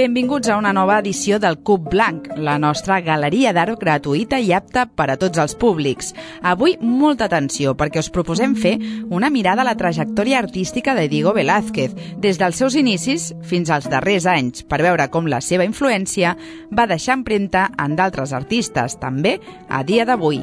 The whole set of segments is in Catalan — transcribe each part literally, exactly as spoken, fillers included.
Benvinguts a una nova edició del Cub Blanc, la nostra galeria d'art gratuïta i apta per a tots els públics. Avui, molta atenció, perquè us proposem fer una mirada a la trajectòria artística de Diego Velázquez, des dels seus inicis fins als darrers anys, per veure com la seva influència va deixar empremta en d'altres artistes, també a dia d'avui.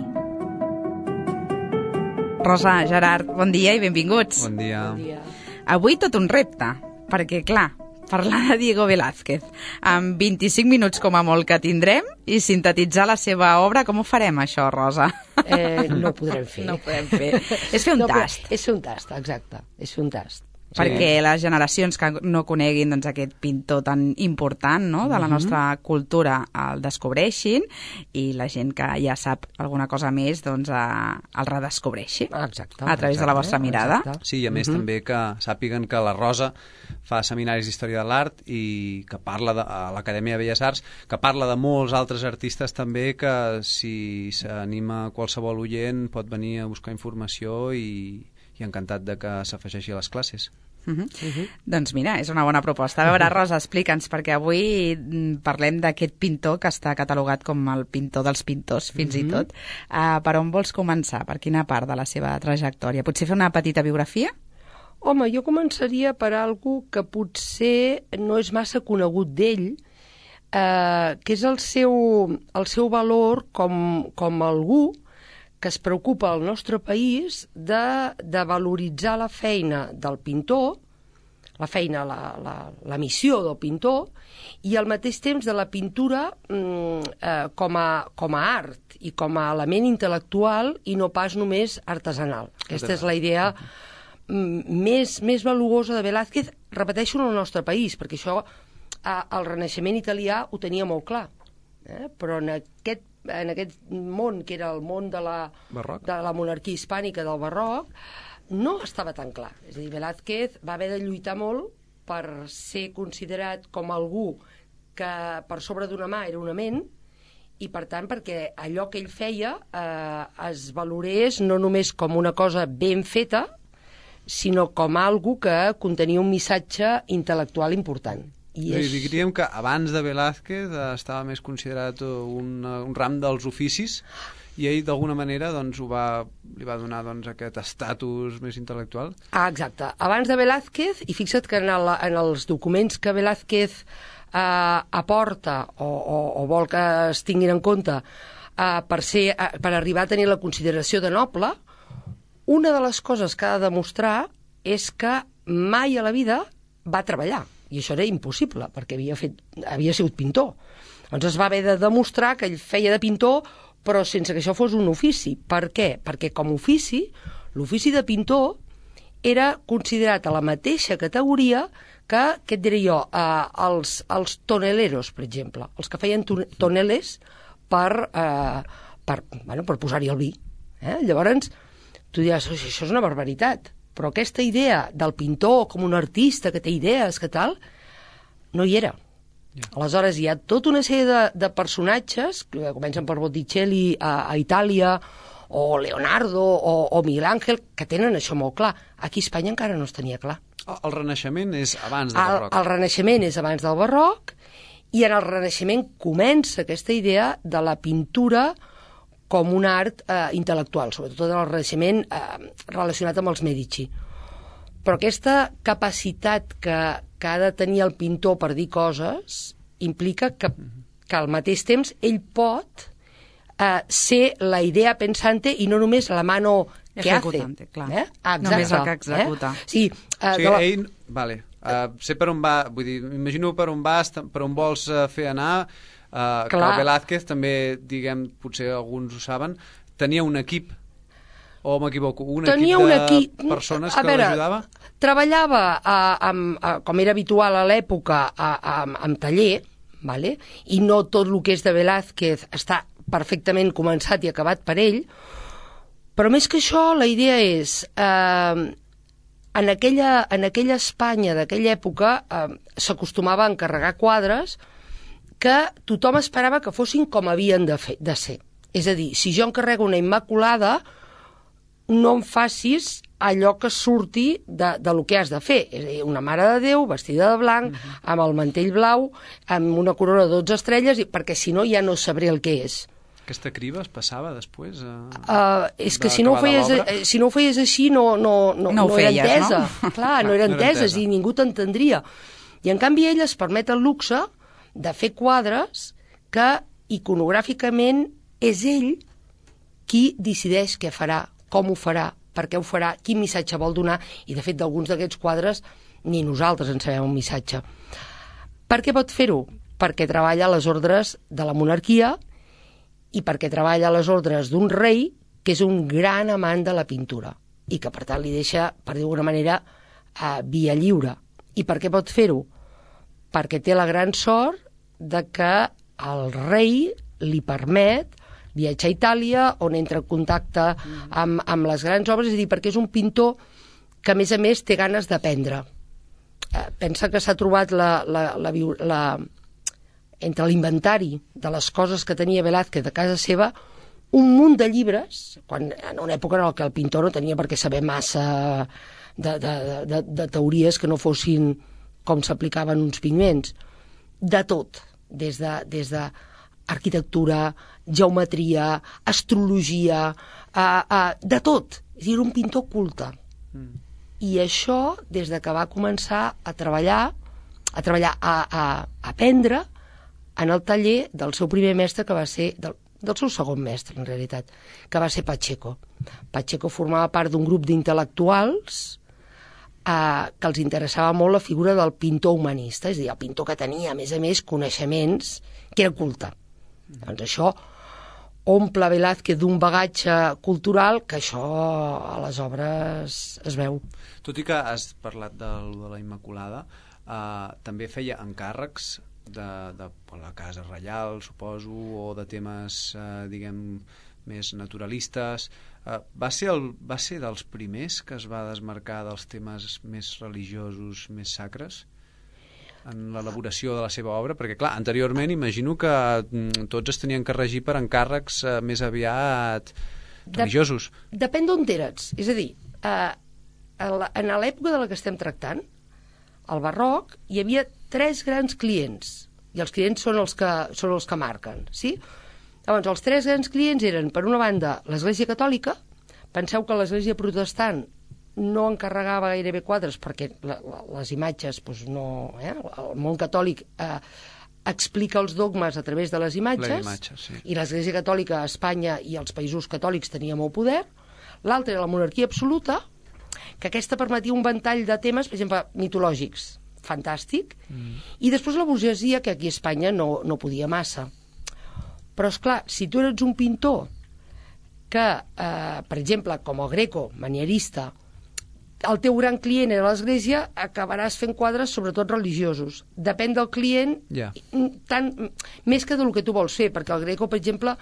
Rosa, Gerard, bon dia i benvinguts. Bon dia. Bon dia. Avui tot un repte, perquè, clar, parlar de Diego Velázquez amb vint-i-cinc minuts com a molt que tindrem i sintetitzar la seva obra, com ho farem, això, Rosa? Eh, no ho podrem fer. No ho podem fer. És fer un no, tast. És fer un tast, exacte. És fer un tast. Sí. Perquè les generacions que no coneguin doncs, aquest pintor tan important, no?, de la nostra cultura el descobreixin i la gent que ja sap alguna cosa més doncs, a, el redescobreixi Exacte, a través exacte, de la vostra mirada. Exacte. Sí, i a més uh -huh. també que sàpiguen que la Rosa fa seminaris d'història de l'art i que parla de, a l'Acadèmia de Belles Arts, que parla de molts altres artistes també, que si s'anima qualsevol oient pot venir a buscar informació i, i encantat de que s'afegeixi a les classes. Uh -huh. Uh -huh. Doncs mira, és una bona proposta. A veure, Rosa, explica'ns, perquè avui parlem d'aquest pintor que està catalogat com el pintor dels pintors, fins uh -huh. i tot. Uh, per on vols començar? Per quina part de la seva trajectòria? Potser fer una petita biografia? Home, jo començaria per algú que potser no és massa conegut d'ell, eh, que és el seu, el seu valor com, com algú que es preocupa al nostre país de, de valoritzar la feina del pintor, la feina, la, la, la missió del pintor, i al mateix temps de la pintura mm, eh, com, a, com a art i com a element intel·lectual i no pas només artesanal. Aquesta és la idea mm, més, més valuosa de Velázquez, repeteixo, en el nostre país, perquè això eh, el Renaixement italià ho tenia molt clar, eh? Però en aquest en aquest món, que era el món de la, de la monarquia hispànica del barroc, no estava tan clar. És a dir, Velázquez va haver de lluitar molt per ser considerat com algú que per sobre d'una mà era una ment, i per tant perquè allò que ell feia eh, es valorés no només com una cosa ben feta, sinó com algo que contenia un missatge intel·lectual important. I és... Diríem que abans de Velázquez estava més considerat un, un ram dels oficis i ell d'alguna manera doncs, ho va, li va donar doncs, aquest estatus més intel·lectual. Ah, exacte. Abans de Velázquez, i fixa't que en, el, en els documents que Velázquez eh, aporta o, o, o vol que es tinguin en compte eh, per, ser, eh, per arribar a tenir la consideració de noble, una de les coses que ha de demostrar és que mai a la vida va treballar. I això era impossible, perquè havia, fet, havia sigut pintor. Doncs es va haver de demostrar que ell feia de pintor, però sense que això fos un ofici. Per què? Perquè com a ofici, l'ofici de pintor era considerat a la mateixa categoria que, què et diré jo, eh, els, els toneleros, per exemple, els que feien toneles per, eh, per, bueno, per posar-hi el vi. Eh? Llavors, tu diràs, això és una barbaritat. Però aquesta idea del pintor com un artista que té idees, que tal, no hi era. Yeah. Aleshores, hi ha tota una sèrie de, de personatges, que comencen per Botticelli a, a Itàlia, o Leonardo, o, o Miguel Ángel, que tenen això molt clar. Aquí a Espanya encara no es tenia clar. El Renaixement és abans del el, barroc. El Renaixement és abans del barroc, i en el Renaixement comença aquesta idea de la pintura com un art eh, intel·lectual, sobretot en el Renaixement eh, relacionat amb els Medici. Però aquesta capacitat que, que ha de tenir el pintor per dir coses implica que, que al mateix temps ell pot eh, ser la idea pensante i no només la mano que Ejecutante, hace. clar. Eh? Exacte, només el que executa. Eh? Sí, eh, o sigui, la... ell... Vale. Uh, sé per on va, vull dir, m'imagino per on vas, per on vols uh, fer anar. Uh, que Velázquez també, diguem, potser alguns ho saben, tenia un equip, o m'equivoco, un tenia equip un de equip... persones a que veure, l'ajudava? Treballava, a, a, a, com era habitual a l'època, amb taller, vale? I no tot el que és de Velázquez està perfectament començat i acabat per ell, però més que això, la idea és... Eh, en, aquella, en aquella Espanya d'aquella època eh, s'acostumava a encarregar quadres que tothom esperava que fossin com havien de, fer, de ser. És a dir, si jo encarrego una Immaculada, no em facis allò que surti de, de lo que has de fer. És a dir, una Mare de Déu vestida de blanc, uh-huh. amb el mantell blau, amb una corona de dotze estrelles, i perquè si no ja no sabré el que és. Aquesta criba es passava després? A... Uh, és que si no, ho feies, si no ho feies així no, no, no, no, no feies, era entesa. No? Clar, no era no entesa, era és a dir, ningú t'entendria. I en canvi ell es permet el luxe de fer quadres que iconogràficament és ell qui decideix què farà, com ho farà, per què ho farà, quin missatge vol donar, i de fet d'alguns d'aquests quadres ni nosaltres en sabem un missatge. Per què pot fer-ho? Perquè treballa a les ordres de la monarquia i perquè treballa a les ordres d'un rei que és un gran amant de la pintura i que per tant li deixa, per dir d'alguna manera, a via lliure. I per què pot fer-ho? Perquè té la gran sort de que el rei li permet viatjar a Itàlia, on entra en contacte amb, amb les grans obres, és a dir, perquè és un pintor que, a més a més, té ganes d'aprendre. Eh, pensa que s'ha trobat la, la, la, la, entre l'inventari de les coses que tenia Velázquez a casa seva, un munt de llibres, quan, en una època en què el pintor no tenia per què saber massa de, de, de, de teories que no fossin com s'aplicaven uns pigments. De tot, des de, des de arquitectura, geometria, astrologia, uh, uh, de tot. És a dir, un pintor culte. Mm. I això, des de que va començar a treballar, a treballar, a, a, a aprendre en el taller del seu primer mestre, que va ser, del, del seu segon mestre, en realitat, que va ser Pacheco. Pacheco formava part d'un grup d'intel·lectuals uh, que els interessava molt la figura del pintor humanista, és a dir, el pintor que tenia, a més a més, coneixements, que era culte. Doncs això omple Velázquez d'un bagatge cultural que això a les obres es veu. Tot i que has parlat de, de la Immaculada, eh, també feia encàrrecs de, de, de la Casa Reial, suposo, o de temes, eh, diguem, més naturalistes. Eh, va, ser el, va ser dels primers que es va desmarcar dels temes més religiosos, més sacres? En l'elaboració de la seva obra, perquè clar, anteriorment imagino que mm, tots es tenien que regir per encàrrecs eh, més aviat religiosos. Dep depèn d'on eres. És a dir, eh, en l'època de la que estem tractant, al barroc, hi havia tres grans clients, i els clients són els que, són els que marquen, sí? Llavors, els tres grans clients eren, per una banda, l'Església Catòlica. Penseu que l'Església Protestant no encarregava gairebé quadres perquè la, la, les imatges, doncs no, eh? El món catòlic eh, explica els dogmes a través de les imatges, imatge, sí. I l'Església Catòlica a Espanya i als països catòlics tenia molt poder. L'altra era la monarquia absoluta, que aquesta permetia un ventall de temes, per exemple, mitològics, fantàstic, mm. I després la burgesia, que aquí a Espanya no, no podia massa. Però, esclar, si tu eres un pintor que, eh, per exemple, com el Greco, manierista, el teu gran client era l'Església, acabaràs fent quadres sobretot religiosos. Depèn del client, yeah. tant, més que del que tu vols fer, perquè el Greco, per exemple,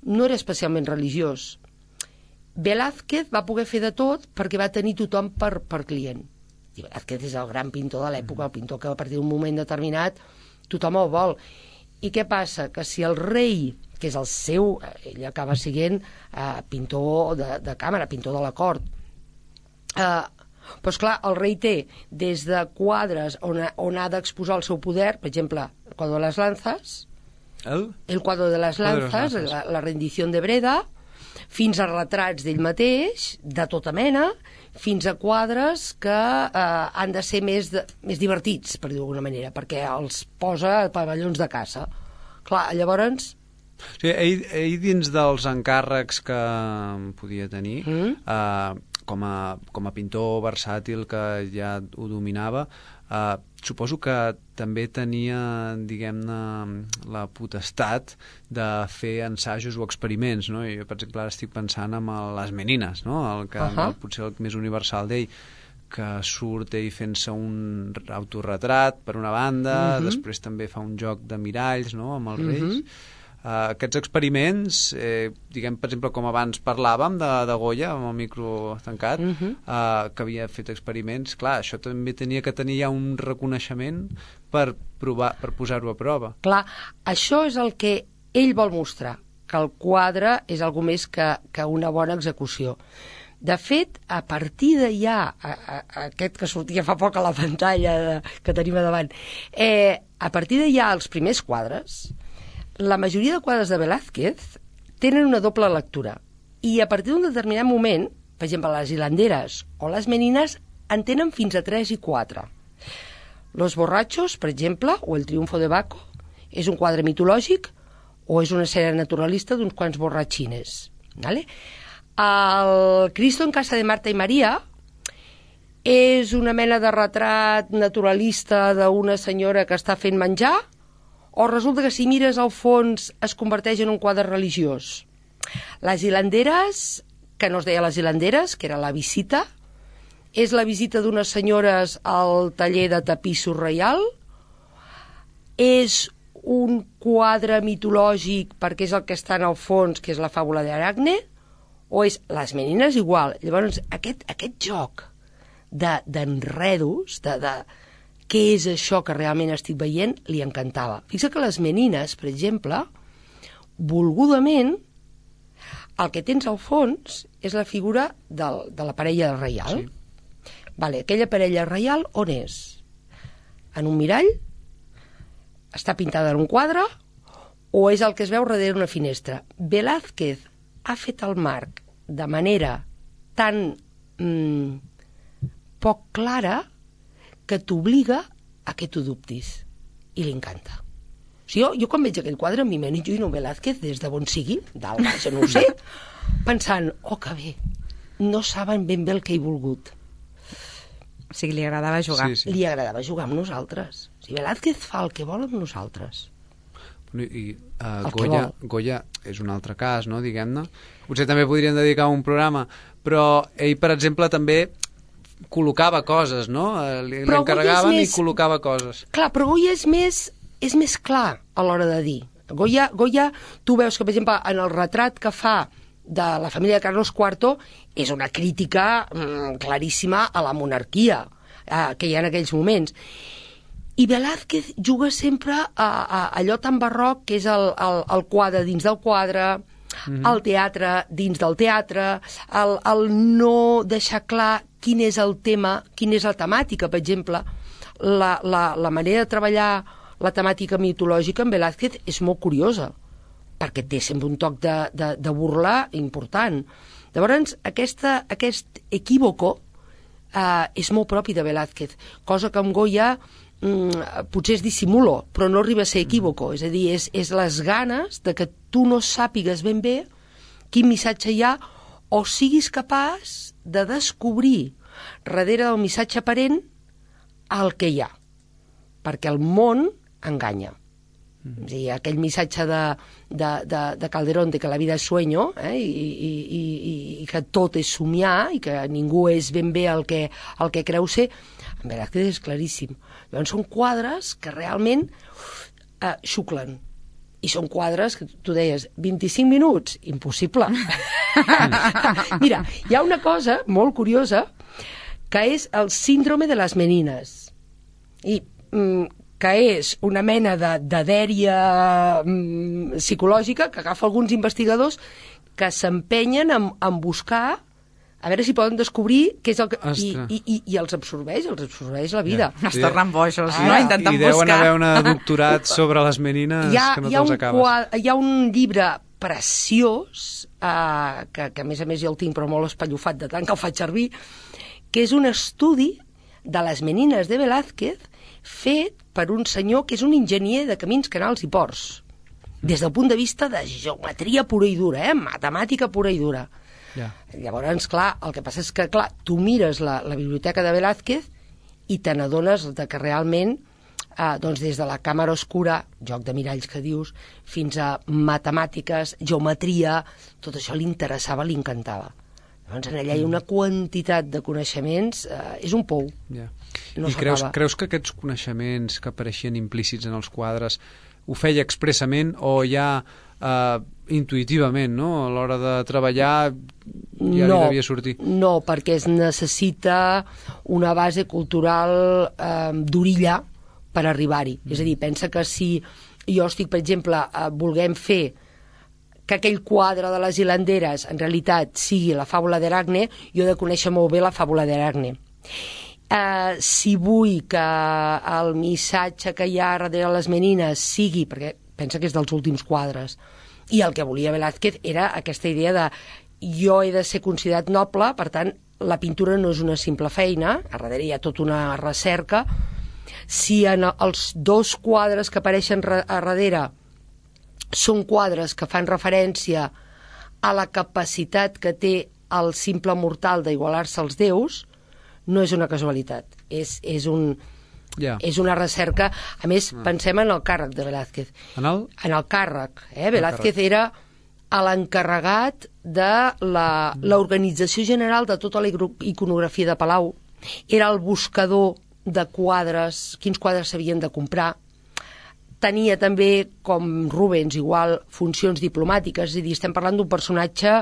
no era especialment religiós. Velázquez va poder fer de tot perquè va tenir tothom per, per client. I Velázquez és el gran pintor de l'època, el pintor que a partir d'un moment determinat tothom el vol. I què passa? Que si el rei, que és el seu, ell acaba sent eh, pintor de, de càmera, pintor de la cort, eh, doncs clar, el rei té des de quadres on ha, on ha d'exposar el seu poder, per exemple, el quadre de les lanzas, el, el quadre de les lanzas, la, la rendició de Breda, fins a retrats d'ell mateix, de tota mena, fins a quadres que eh, han de ser més, de, més divertits, per dir-ho d'alguna manera, perquè els posa a pavellons de caça. Clar, llavors... Sí, ell, ell dins dels encàrrecs que podia tenir, mm. eh, com, a, com a pintor versàtil que ja ho dominava, eh, suposo que també tenia, diguem-ne, la potestat de fer ensajos o experiments, no? Jo, per exemple, ara estic pensant en les Menines, no? El que uh -huh. el, potser el més universal d'ell, que surt ell fent-se un autorretrat per una banda, uh -huh. després també fa un joc de miralls, no?, amb els uh -huh. reis. Uh, aquests experiments, eh, diguem, per exemple, com abans parlàvem de, de Goya, amb el micro tancat, uh -huh. uh, que havia fet experiments, clar, això també tenia que tenir ja un reconeixement per, provar, per posar-ho a prova. Clar, això és el que ell vol mostrar, que el quadre és algo més que, que una bona execució. De fet, a partir de ja, a, a, aquest que sortia fa poc a la pantalla de, que tenim a davant, eh, a partir de ja els primers quadres, la majoria de quadres de Velázquez tenen una doble lectura. I a partir d'un determinat moment, per exemple, les hilanderes o les menines en tenen fins a tres i quatre. Los borrachos, per exemple, o el triunfo de Baco, és un quadre mitològic o és una sèrie naturalista d'uns quants borratxines. ¿Vale? El Cristo en casa de Marta i Maria és una mena de retrat naturalista d'una senyora que està fent menjar, o resulta que si mires al fons es converteix en un quadre religiós. Les hilanderes, que no es deia les hilanderes, que era la visita, és la visita d'unes senyores al taller de tapissos reial, és un quadre mitològic perquè és el que està en el fons, que és la fàbula d'Aracne, o és les menines igual. Llavors, aquest, aquest joc d'enredos, de, de, de què és això que realment estic veient, li encantava. Fixa que les menines, per exemple, volgudament, el que tens al fons és la figura del, de la parella reial. Sí. Vale, aquella parella reial on és? En un mirall? Està pintada en un quadre? O és el que es veu darrere una finestra? Velázquez ha fet el marc de manera tan mm, poc clara que t'obliga a que tu dubtis. I li encanta. O sigui, jo, jo quan veig aquell quadre m'imagino un Velázquez des de bon sigui, dalt baix, no ho sé, pensant, oh, que bé, no saben ben bé el que he volgut. O sigui, li agradava jugar. Sí, sí. Li agradava jugar amb nosaltres. O sigui, Velázquez fa el que vol amb nosaltres. I, i uh, Goya, Goya és un altre cas, no, diguem-ne. Potser també podríem dedicar un programa, però ell, per exemple, també col·locava coses, no? Li, li encarregaven més... i col·locava coses. Clar, però Goya és més, és més clar a l'hora de dir. Goya, Goya, tu veus que, per exemple, en el retrat que fa de la família de Carlos cuarto és una crítica mm, claríssima a la monarquia eh, que hi ha en aquells moments. I Velázquez juga sempre a, a allò tan barroc que és el, el, el quadre dins del quadre, mm-hmm. el teatre dins del teatre, el, el no deixar clar quin és el tema, quina és la temàtica. Per exemple, la, la, la manera de treballar la temàtica mitològica en Velázquez és molt curiosa, perquè té sempre un toc de, de, de burla important. Llavors, aquesta, aquest equívoco eh, és molt propi de Velázquez, cosa que amb Goya mm, potser és dissimulo, però no arriba a ser equívoco. És a dir, és, és les ganes de que tu no sàpigues ben bé quin missatge hi ha o siguis capaç de descobrir darrere del missatge aparent el que hi ha, perquè el món enganya. Mm. És a dir, aquell missatge de, de, de, de Calderón de que la vida és sueño, eh, i, i, i, i que tot és somiar i que ningú és ben bé el que, el que creu ser, en Velázquez és claríssim. Llavors són quadres que realment eh, xuclen. I són quadres que tu deies, vint-i-cinc minuts? Impossible. Mira, hi ha una cosa molt curiosa que és el síndrome de les menines. I mm, que és una mena de, de dèria mm, psicològica que agafa alguns investigadors que s'empenyen en, en buscar a veure si poden descobrir què és el que... I, i, i, i els absorbeix, els absorbeix la vida. Ja. Es tornen bojos, ah, no? Intentant buscar. I deuen haver una doctorat sobre les menines ha, que no te'ls acabes. Quadre, hi ha un llibre preciós, eh, que, que a més a més jo el tinc però molt espallofat de tant que el faig servir, que és un estudi de les menines de Velázquez fet per un senyor que és un enginyer de camins, canals i ports, des del punt de vista de geometria pura i dura, eh? Matemàtica pura i dura. Yeah. Llavors, clar, el que passa és que, clar, tu mires la, la biblioteca de Velázquez i te n'adones que realment, eh, doncs des de la càmera oscura, joc de miralls que dius, fins a matemàtiques, geometria, tot això li interessava, li encantava. Llavors, en allà hi ha una quantitat de coneixements, eh, és un pou. Yeah. No I creus, creus que aquests coneixements que apareixien implícits en els quadres ho feia expressament o ja eh, intuïtivament, no? A l'hora de treballar ja no, li devia sortir. No, perquè es necessita una base cultural eh, d'orilla per arribar-hi. Mm. És a dir, pensa que si jo estic, per exemple, eh, volguem fer que aquell quadre de les hilanderes en realitat sigui la fàbula d'Aracne, jo he de conèixer molt bé la fàbula d'Aracne. Eh, si vull que el missatge que hi ha darrere les menines sigui, perquè pensa que és dels últims quadres, i el que volia Velázquez era aquesta idea de jo he de ser considerat noble, per tant, la pintura no és una simple feina, a darrere hi ha tota una recerca. Si en els dos quadres que apareixen a darrere són quadres que fan referència a la capacitat que té el simple mortal d'igualar-se als déus, no és una casualitat, és, és, un, yeah. és una recerca. A més, ah. pensem en el càrrec de Velázquez. En el? En el càrrec. Eh? Velázquez càrrec. era l'encarregat de l'organització general de tota la iconografia de Palau. Era el buscador de quadres, quins quadres s'havien de comprar. Tenia també, com Rubens, igual, funcions diplomàtiques, és a dir, estem parlant d'un personatge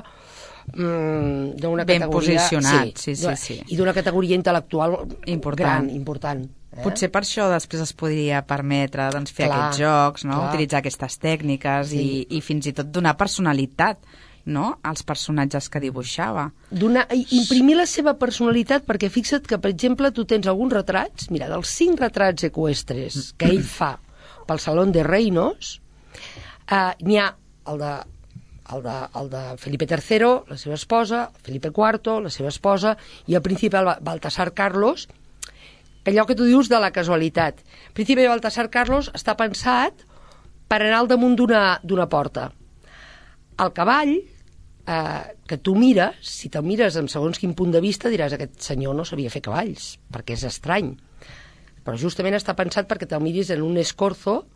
mmm, d'una ben categoria... posicionat, sí, sí, sí, sí. I d'una categoria intel·lectual important. gran, important. Eh? Potser per això després es podria permetre doncs, fer clar, aquests jocs, no? clar. Utilitzar aquestes tècniques sí. i, i fins i tot donar personalitat, no?, als personatges que dibuixava. Donar, imprimir la seva personalitat, perquè fixa't que, per exemple, tu tens alguns retrats, mira, dels cinc retrats eqüestres que ell fa pel Salón de Reinos, eh, n'hi ha el de, el, de, el de Felipe tercero, la seva esposa, Felipe cuarto, la seva esposa, i el príncipe Baltasar Carlos, allò que tu dius de la casualitat. El príncipe Baltasar Carlos està pensat per anar al damunt d'una porta. El cavall, eh, que tu mires, si te'l mires amb segons quin punt de vista, diràs aquest senyor no sabia fer cavalls, perquè és estrany. Però justament està pensat perquè te'l miris en un escorzo,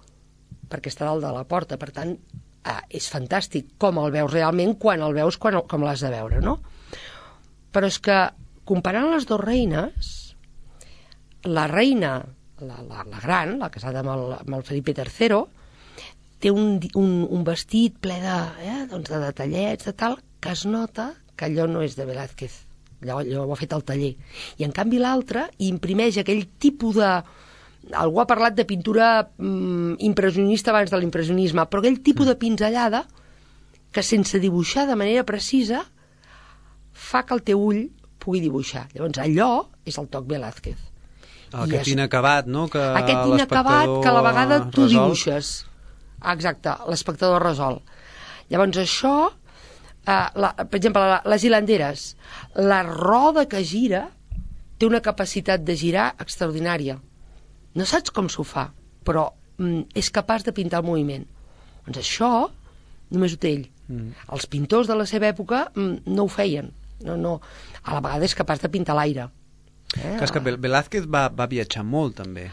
perquè està dalt de la porta. Per tant, eh, és fantàstic com el veus realment quan el veus quan, com l'has de veure, no? Però és que, comparant les dues reines, la reina, la, la, la gran, la casada amb el, amb el Felipe tercero, té un, un, un vestit ple de, eh, doncs de detallets, de tal, que es nota que allò no és de Velázquez. Allò, allò ho ha fet al taller. I en canvi l'altre imprimeix aquell tipus de... Algú ha parlat de pintura mm, impressionista abans de l'impressionisme, però aquell tipus de pinzellada que sense dibuixar de manera precisa fa que el teu ull pugui dibuixar. Llavors allò és el toc Velázquez. Aquest és... inacabat, no? Que aquest inacabat que a la vegada tu resol. Dibuixes. Exacte, l'espectador resol. Llavors això, eh, la, per exemple, la, les hilanderes, la roda que gira té una capacitat de girar extraordinària. No saps com s'ho fa, però mm, és capaç de pintar el moviment. Doncs això només ho té ell. Mm. Els pintors de la seva època mm, no ho feien. No, no. A la vegada és capaç de pintar l'aire. Eh? És que Velázquez va, va viatjar molt, també.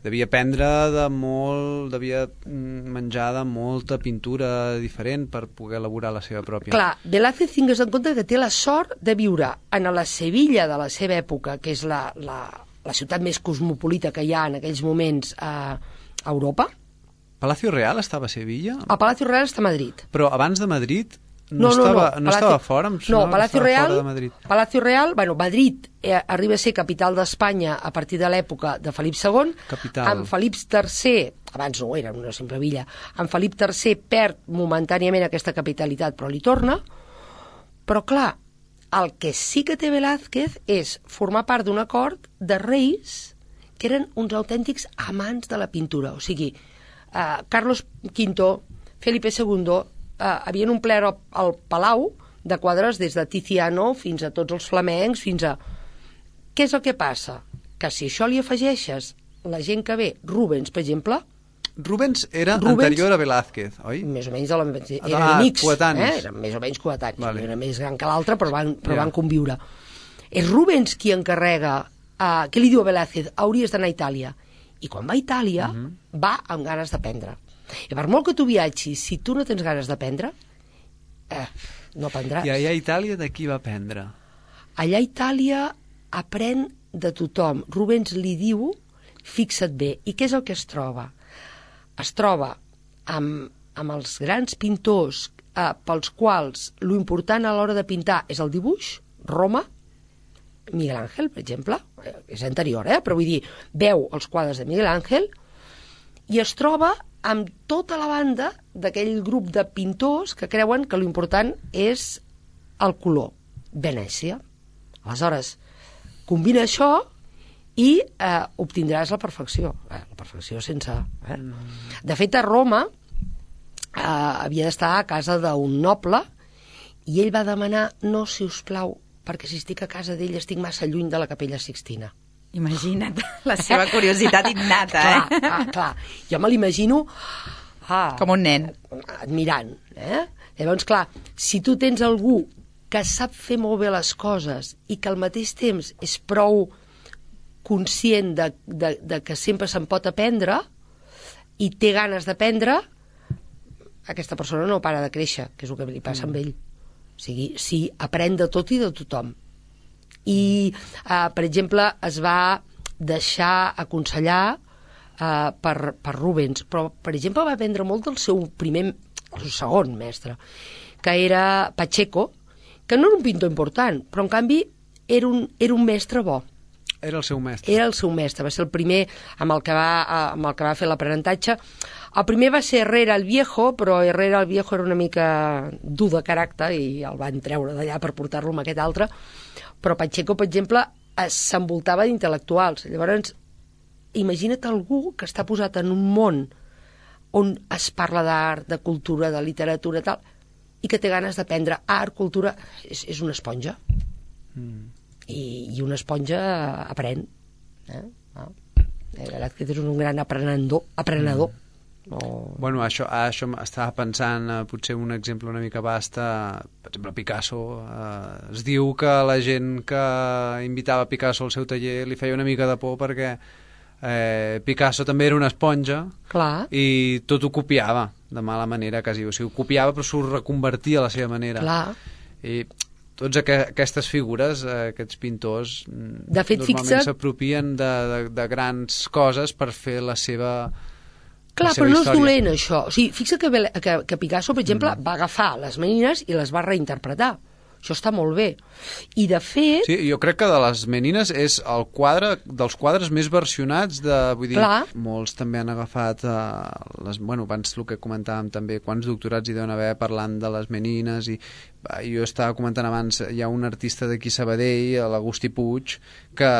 Devia aprendre de molt, devia menjar de molta pintura diferent per poder elaborar la seva pròpia. Clar, Velázquez, tingues en compte que té la sort de viure en la Sevilla de la seva època, que és la, la, la ciutat més cosmopolita que hi ha en aquells moments a, a Europa. Palacio Real estava a Sevilla? El Palacio Real està a Madrid. Però abans de Madrid... No, No, no, estava, no. no Palacio, estava fora? Em no, Palacio Real, fora de Madrid. Palacio Real, bueno, Madrid eh, arriba a ser capital d'Espanya a partir de l'època de Felip segon. Capital. Amb Felip tercer, abans no era una simple villa, amb Felip tercer perd momentàniament aquesta capitalitat, però li torna. Però clar, el que sí que té Velázquez és formar part d'un acord de reis que eren uns autèntics amants de la pintura. O sigui, eh, Carlos quinto, Felipe segundo, Uh, havien omplert el, el palau de quadres des de Tiziano fins a tots els flamencs, fins a... Què és el que passa? Que si això li afegeixes la gent que ve, Rubens, per exemple... Rubens era Rubens, anterior a Velázquez, oi? Més o menys, de la, eren ah, amics, coetanis. Eh? Eren més o menys coetanis, vale. Era més gran que l'altre, però, van, però yeah. van conviure. És Rubens qui encarrega, uh, què li diu a Velázquez? Hauries d'anar a Itàlia. I quan va a Itàlia, uh -huh. va amb ganes d'aprendre. I per molt que tu viatgis, si tu no tens ganes d'aprendre, eh, no aprendràs. I allà a Itàlia de qui va aprendre? Allà a Itàlia aprèn de tothom. Rubens li diu, fixa't bé, i què és el que es troba? Es troba amb, amb els grans pintors eh, pels quals lo important a l'hora de pintar és el dibuix, Roma, Miguel Ángel, per exemple, és anterior, eh? Però vull dir, veu els quadres de Miguel Ángel, i es troba amb tota la banda d'aquell grup de pintors que creuen que l'important és el color. Venècia. Aleshores, combina això i eh, obtindràs la perfecció. Eh, la perfecció sense... Eh? De fet, a Roma eh, havia d'estar a casa d'un noble i ell va demanar, no, si us plau, perquè si estic a casa d'ell estic massa lluny de la Capella Sixtina. Imagina't, la seva curiositat innata, eh? Clar, clar, clar. Jo me l'imagino... Ah, com un nen. Admirant, eh? Llavors, clar, si tu tens algú que sap fer molt bé les coses i que al mateix temps és prou conscient de, de, de que sempre se'n pot aprendre i té ganes d'aprendre, aquesta persona no para de créixer, que és el que li passa mm. amb ell. O sigui, sí, aprèn de tot i de tothom. I, eh, per exemple, es va deixar aconsellar eh, per, per Rubens, però, per exemple, va aprendre molt del seu primer, el seu segon mestre, que era Pacheco, que no era un pintor important, però, en canvi, era un, era un mestre bo. Era el seu mestre. Era el seu mestre, va ser el primer amb el que va, amb el que va fer l'aprenentatge. El primer va ser Herrera el Viejo, però Herrera el Viejo era una mica dur de caràcter i el van treure d'allà per portar-lo amb aquest altre. Però Pacheco, per exemple, s'envoltava d'intel·lectuals. Llavors, imagina't algú que està posat en un món on es parla d'art, de cultura, de literatura, tal, i que té ganes d'aprendre art, cultura, és, és una esponja. Mm. I, i una esponja aprèn. Eh? Ah. Velázquez és un gran aprenedor. aprenedor. Mm. No. Bueno, això, això estava pensant, eh, potser un exemple una mica basta, per exemple, Picasso. Eh, es diu que la gent que invitava Picasso al seu taller li feia una mica de por perquè eh, Picasso també era una esponja. Clar. I tot ho copiava de mala manera, quasi. O sigui, ho copiava però s'ho reconvertia a la seva manera. Clar. I tots aqu aquestes figures, eh, aquests pintors, de fet, normalment s'apropien de, de, de grans coses per fer la seva... Clar, però no és dolent, això. O sigui, fixa que, que, que Picasso, per exemple, mm. va agafar les menines i les va reinterpretar. Això està molt bé. I, de fet... Sí, jo crec que de les menines és el quadre dels quadres més versionats de... Vull dir, clar. Molts també han agafat... Eh, les, bueno, abans el que comentàvem també, quants doctorats hi deuen haver parlant de les menines i eh, jo estava comentant abans, hi ha un artista d'aquí Sabadell, l'Agustí Puig, que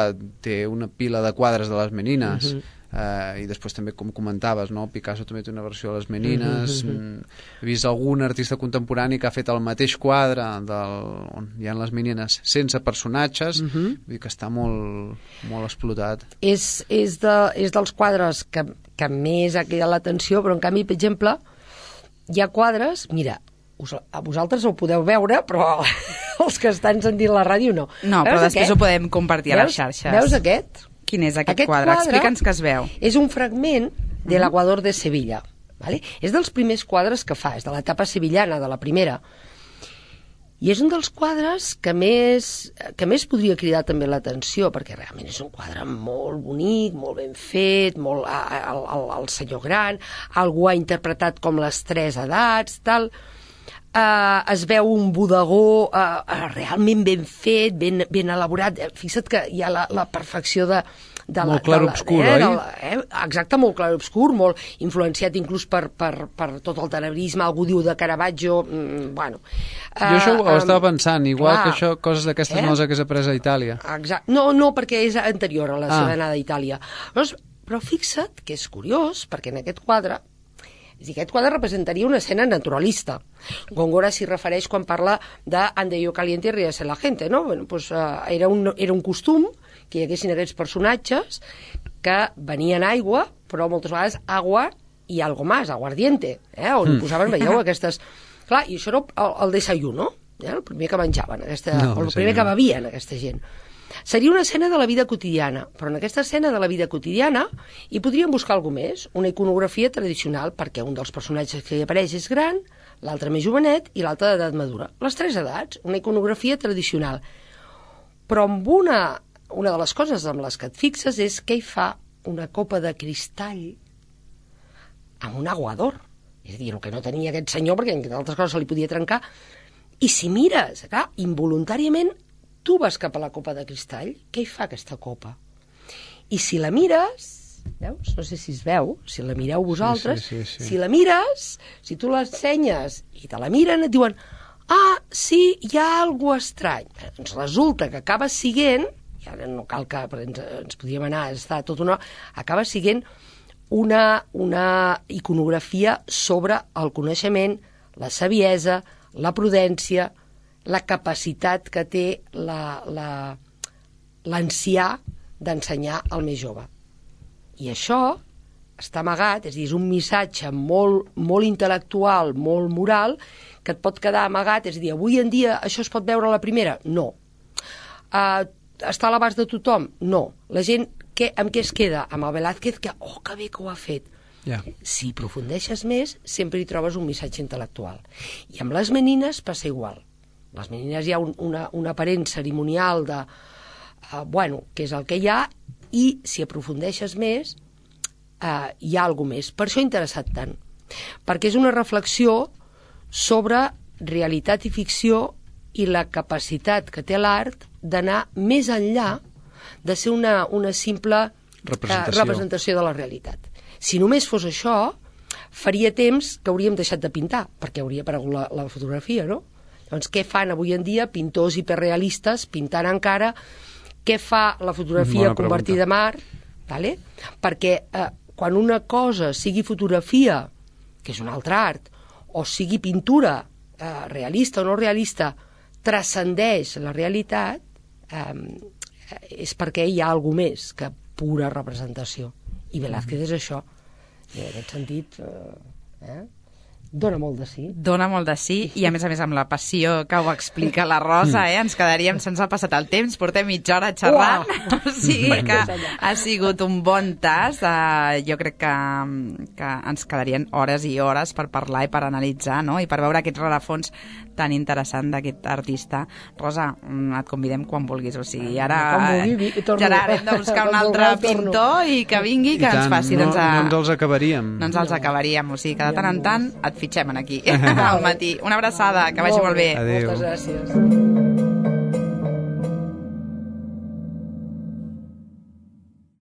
té una pila de quadres de les menines. Mm-hmm. Uh, i després també, com comentaves, no? Picasso també té una versió de les menines. Mm -hmm. He vist algun artista contemporani que ha fet el mateix quadre del, on hi ha les menines sense personatges. Mm -hmm. Vull dir que està molt, molt explotat. És, és, de, és dels quadres que, que més ha cridat l'atenció, però en canvi, per exemple, hi ha quadres, mira, us, a vosaltres ho podeu veure, però els que estan sentint la ràdio no. No, però després aquest? Ho podem compartir a les xarxes. Veus aquest? Quin és aquest, aquest quadre? quadre? Explica'ns què es veu. És un fragment de l'Aguador de Sevilla. ¿Vale? És dels primers quadres que fa, és de l'etapa sevillana, de la primera. I és un dels quadres que més, que més podria cridar també l'atenció, perquè realment és un quadre molt bonic, molt ben fet, molt, el, el, el senyor gran, algú ha interpretat com les tres edats, tal... Uh, es veu un bodegó uh, uh, realment ben fet, ben, ben elaborat. Fixa't que hi ha la, la perfecció de... de molt clar-obscur, eh, oi? La, eh, exacte, molt clar-obscur, molt influenciat inclús per, per, per tot el tenebrisme, algú diu de Caravaggio, mm, bueno... Uh, jo això ho um, estava pensant, igual clar, que això, coses d'aquestes eh? no les hagués après a Itàlia. Exacte. No, no, perquè és anterior a la ah. seva anada a Itàlia. Però, però fixa't que és curiós, perquè en aquest quadre és dir, aquest quadre representaria una escena naturalista. Góngora s'hi refereix quan parla de ande yo caliente y ríase la gente, no? Bueno, pues, uh, era, un, era un costum que hi haguessin aquests personatges que venien aigua, però moltes vegades agua i algo más, aguardiente, eh? On mm. posaven, veieu, aquestes... Clar, i això era el, el desayuno, eh? El primer que menjaven, aquesta, no, el primer que bevien aquesta gent. Seria una escena de la vida quotidiana, però en aquesta escena de la vida quotidiana hi podríem buscar alguna més, una iconografia tradicional, perquè un dels personatges que hi apareix és gran, l'altre més jovenet i l'altre d'edat madura. Les tres edats, una iconografia tradicional. Però amb una, una de les coses amb les que et fixes és que hi fa una copa de cristall amb un aguador. És a dir, el que no tenia aquest senyor, perquè entre altres coses se li podia trencar. I si mires, clar, involuntàriament, tu vas cap a la copa de cristall, què hi fa aquesta copa? I si la mires, Veus? No sé si es veu, si la mireu vosaltres. Sí, sí, sí, sí. Si la mires, si tu l'ensenyes i te la miren, et diuen ah, sí, hi ha alguna estrany. Doncs resulta que acaba siguent, i ara no cal que ens, ens podíem anar, està tot una... acaba siguent una, una iconografia sobre el coneixement, la saviesa, la prudència, la capacitat que té la, la, l'ancià d'ensenyar al més jove. I això està amagat, és a dir, és un missatge molt, molt intel·lectual, molt moral, que et pot quedar amagat, és a dir, avui en dia això es pot veure a la primera? No. Uh, està a l'abast de tothom? No. La gent, què, amb què es queda? Amb el Velázquez, que, oh, que bé que ho ha fet. Yeah. Si aprofundeixes més, sempre hi trobes un missatge intel·lectual. I amb les menines passa igual. Les menines hi ha un, una, un aparent cerimonial de, uh, bueno, que és el que hi ha, i si aprofundeixes més, uh, hi ha alguna més. Per això ha interessat tant. Perquè és una reflexió sobre realitat i ficció i la capacitat que té l'art d'anar més enllà de ser una, una simple representació. Uh, representació de la realitat. Si només fos això, faria temps que hauríem deixat de pintar, perquè hauria aparegut la, la fotografia, no? Doncs què fan avui en dia pintors hiperrealistes pintant encara? Què fa la fotografia convertida en art? Vale? Perquè eh, quan una cosa sigui fotografia, que és un altre art, o sigui pintura, eh, realista o no realista, transcendeix la realitat, eh, és perquè hi ha alguna més que pura representació. I Velázquez és això. I en aquest sentit, eh, eh, dona molt de sí. Dona molt de sí, i a més a més amb la passió que ho explica la Rosa, eh? Ens quedaríem, se'ns ha passat el temps, portem mitja hora xerrant, wow. O sigui que ha sigut un bon tas. Uh, jo crec que, que ens quedarien hores i hores per parlar i per analitzar, no? I per veure aquest rerefons tan interessant d'aquest artista. Rosa, et convidem quan vulguis, o sigui, ara vulgui, Gerard, hem de buscar un altre pintor i que vingui, que ens faci. No, doncs, a... no ens els acabaríem. No ens els acabaríem, o sigui que de tant en tant et fitxem aquí al matí. Una abraçada, que vagi molt bé. Adéu. Moltes gràcies.